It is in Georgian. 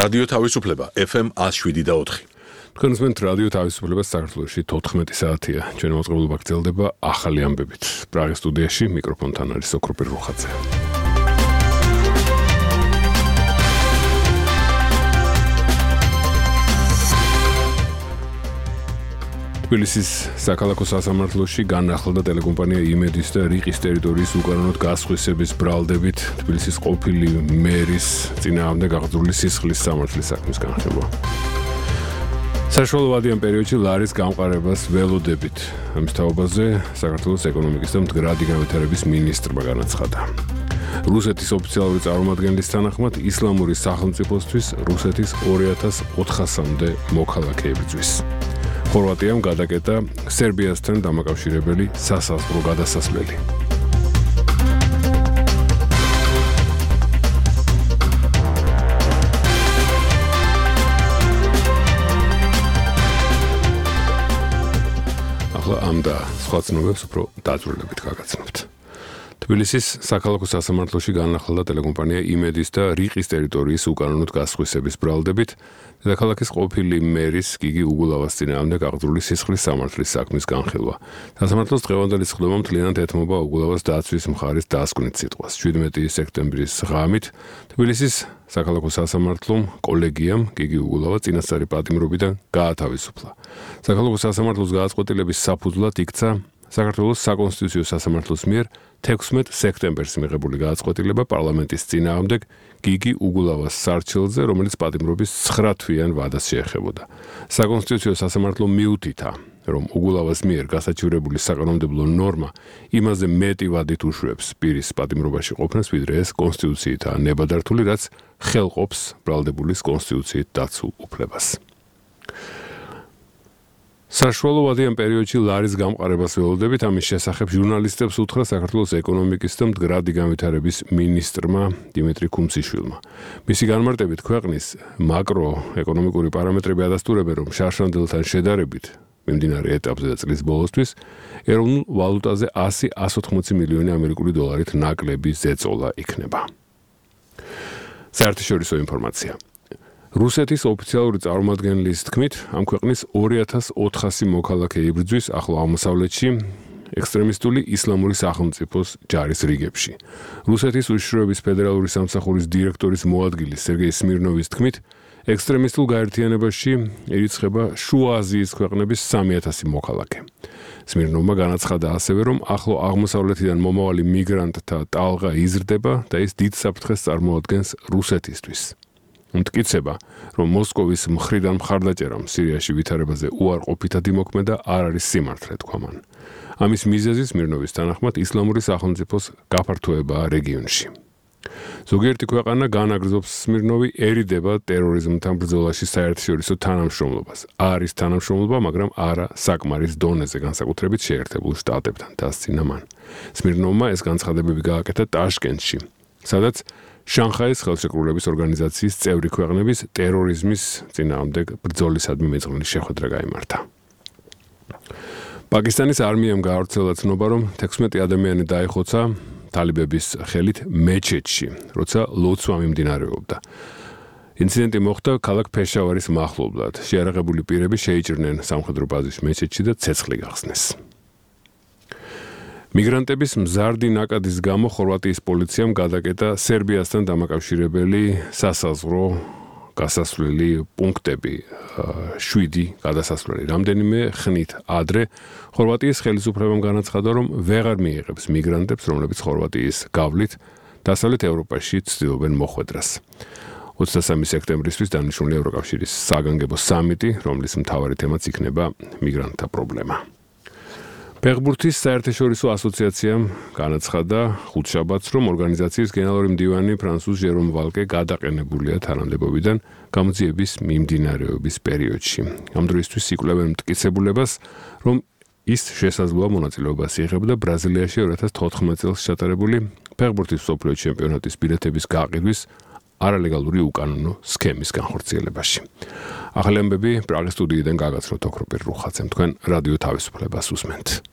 რადიო თავისუფლება FM 107.4. თქვენ უსმენთ რადიო თავისუფლებას საქართველოში 14 საათია. ჩვენი მოწყობილობა გრძელდება ახალი ამბებით. პრაღის სტუდიაში მიკროფონთან არის ოქროპირ რუხაძე. თბილისის საქალაქო სასამართლოში განახლდა ტელეკომპანია იმედის და რიყის ტერიტორიის უკანონოდ გასხვისების ბრალდებით თბილისის ყოფილი მერის წინააღმდეგ აღძრული სისხლის სამართლის საქმის განხილვა. საშუალოვადიან პერიოდში ლარის გამყარებას ველოდებით. ამის თაობაზე საქართველოს ეკონომიკის და მდგრადი განვითარების მინისტრმა განაცხადა. რუსეთის ოფიციალური წარმომადგენლის თანახმად ისლამური სახელმწიფოსთვის რუსეთის 2400-მდე მოქალაქეები იბრძვის. ხორვატიამ გადაკეტა სერბიასთან დამაკავშირებელი სასაზღვრო გადასასვლელი. ახლა ამ და სხვა ცნობებს უფრო დაძვრილებით გაგაცნობთ. თბილისის საქალაქო სასამართლოში განახლდა ტელეკომპანია იმედის და რიყის ტერიტორიის უკანონოდ გასხვისების ბრალდებით დედაქალაქის ყოფილი მერის გიგი უგულავას წინააღმდეგ აღძრული სისხლის სამართლის საქმის განხილვა. სასამართლოს დღევანდელი სხდომა მთლიანად ეთმობა უგულავას დაცვის მხარის დასკვნით სიტყვას. 17 სექტემბრის ღამით თბილისის საქალაქო სასამართლომ კოლეგიამ გიგი უგულავა წინასწარი პატიმრობიდან გაათავისუფლა. საქალაქო სასამართლოს გადაწყვეტილების საფუძვლად იქცა საქართველოს საკონსტიტუციო სასამართლოს მიერ 16 სექტემბერს მიღებული გადაწყვეტილება პარლამენტის წინააღმდეგ გიგი უგულავას სარჩელზე, რომელიც პატიმრობის 9 თვიან ვადას შეეხებოდა. საკონსტიტუციო სასამართლო მიუთითა, რომ უგულავას მიერ გასაჩივრებული საკანონმდებლო ნორმა იმაზე მეტი ვადით უშვებს პირის პატიმრობაში ყოფნას, ვიდრე ეს კონსტიტუციითაა ნებადართული, რაც ხელყოფს ბრალდებულის კონსტიტუციით დაცულ უფლებას. საშუალოვადიან პერიოდში ლარის გამყარებას ველოდებით, ამის შესახებ ჟურნალისტებს უთხრა საქართველოს ეკონომიკის და მდგრადი განვითარების მინისტრმა დიმიტრი ქუმციშვილმა. მისი განმარტებით ქვეყნის მაკროეკონომიკური პარამეტრები ადასტურებენ, რომ შარშანდელთან შედარებით მიმდინარე ეტაპზე და წლის ბოლოსთვის ეროვნულ ვალუტაზე 100-180 მილიონი ამერიკული დოლარით ნაკლები ზეწოლა იქნება. საერთაშორისო ინფორმაცია. რუსეთის ოფიციალური წარმომადგენლის თქმით, ამ ქვეყნის 2400 მოქალაქე იბრძვის ახლო აღმოსავლეთში ექსტრემისტული ისლამური სახელმწიფოს ჯარის რიგებში. რუსეთის უშიშროების ფედერალური სამსახურის დირექტორის მოადგილის სერგეი სმირნოვის თქმით, ექსტრემისტულ გაერთიანებაში ირიცხება შუა აზიის ქვეყნების 3000 მოქალაქე. სმირნოვმა განაცხადა ასევე, რომ ახლო აღმოსავლეთიდან მომავალი მიგრანტთა ტალღა იზრდება და ის დიდ საფრთხეს წარმოადგენს რუსეთისთვის. მტკიცება, რომ მოსკოვის მხრიდან მხარდაჭერამ სირიაში ვითარებაზე უარყოფითად იმოქმედა არ არის სიმართლე, თქვა მან. ამის მიზეზი სმირნოვის თანახმად ისლამური სახელმწიფოს გაფართოებაა რეგიონში. ზოგიერთი ქვეყანა განაგრძობს სმირნოვი ერიდება ტერორიზმთან ბრძოლაში საერთაშორისო თანამშრომლობას. არის თანამშრომლობა, მაგრამ არა საკმარის დონეზე, განსაკუთრებით შეერთებულ შტატებთან, დასცინა მან. სმირნოვმა ეს განცხადებები გააკეთა ტაშკენტში, სადაც შანხაის ხელშეკრულების ორგანიზაციის წევრი ქვეყნების ტერორიზმის წინააღმდეგ ბრძოლისადმი მეწყრული შეხვედრა გაიმართა. პაკისტანის არმიამ გაავრცელა ცნობა, რომ 16 ადამიანი დაიხოცა თალიბების ხელით მეჩეთში, როცა ლოცვა მიმდინარეობდა. ინციდენტი მოხდა ქალაქ ფეშავარის მახლობლად. შეიარაღებული პირები შეიჭრნენ სამხედრო ბაზის მეჩეთში და ცეცხლი გახსნეს. მიგრანტების მზარდი ნაკადის გამო ხორვატიის პოლიციამ გადაკეტა სერბიასთან დამაკავშირებელი სასაზღვრო გასასვლელი პუნქტები 7 გადასასვლელი. რამდენიმე ხნით ადრე ხორვატიის ხელისუფლებამ განაცხადა, რომ ვეღარ მიიღებს მიგრანტებს, რომლებიც ხორვატიის გავლით დასავლეთ ევროპაში ცდილობენ მოხვედრას. 23 სექტემბრისთვის დანიშნული ევროკავშირის საგანგებო სამიტი, რომლის მთავარი თემაც იქნება მიგრანტთა პრობლემა. ფეხბურთის საერთაშორისო ასოციაციამ განაცხადა ხუთშაბათს, რომ ორგანიზაციის გენერალური მდივანი ფრანსუს ჟერომ ვალკე გადაყენებულია თანამდებობიდან გამოძიების მიმდინარეობის პერიოდში. ამ დროისთვის იკვლევენ მტკიცებულებას, რომ ის შესაძლოა მონაწილეობას იღებდა ბრაზილიაში 2014 წელს ჩატარებული ფეხბურთის მსოფლიო ჩემპიონატის ბილეთების გაყიდვის არალეგალური უკანონო სქემის განხორციელებაში. ახალი ამბები პრაღის სტუდიიდან გაგაცნოთ ოქროპირ რუხაძემ. თქვენ რადიო თავისუფლებას უსმენთ.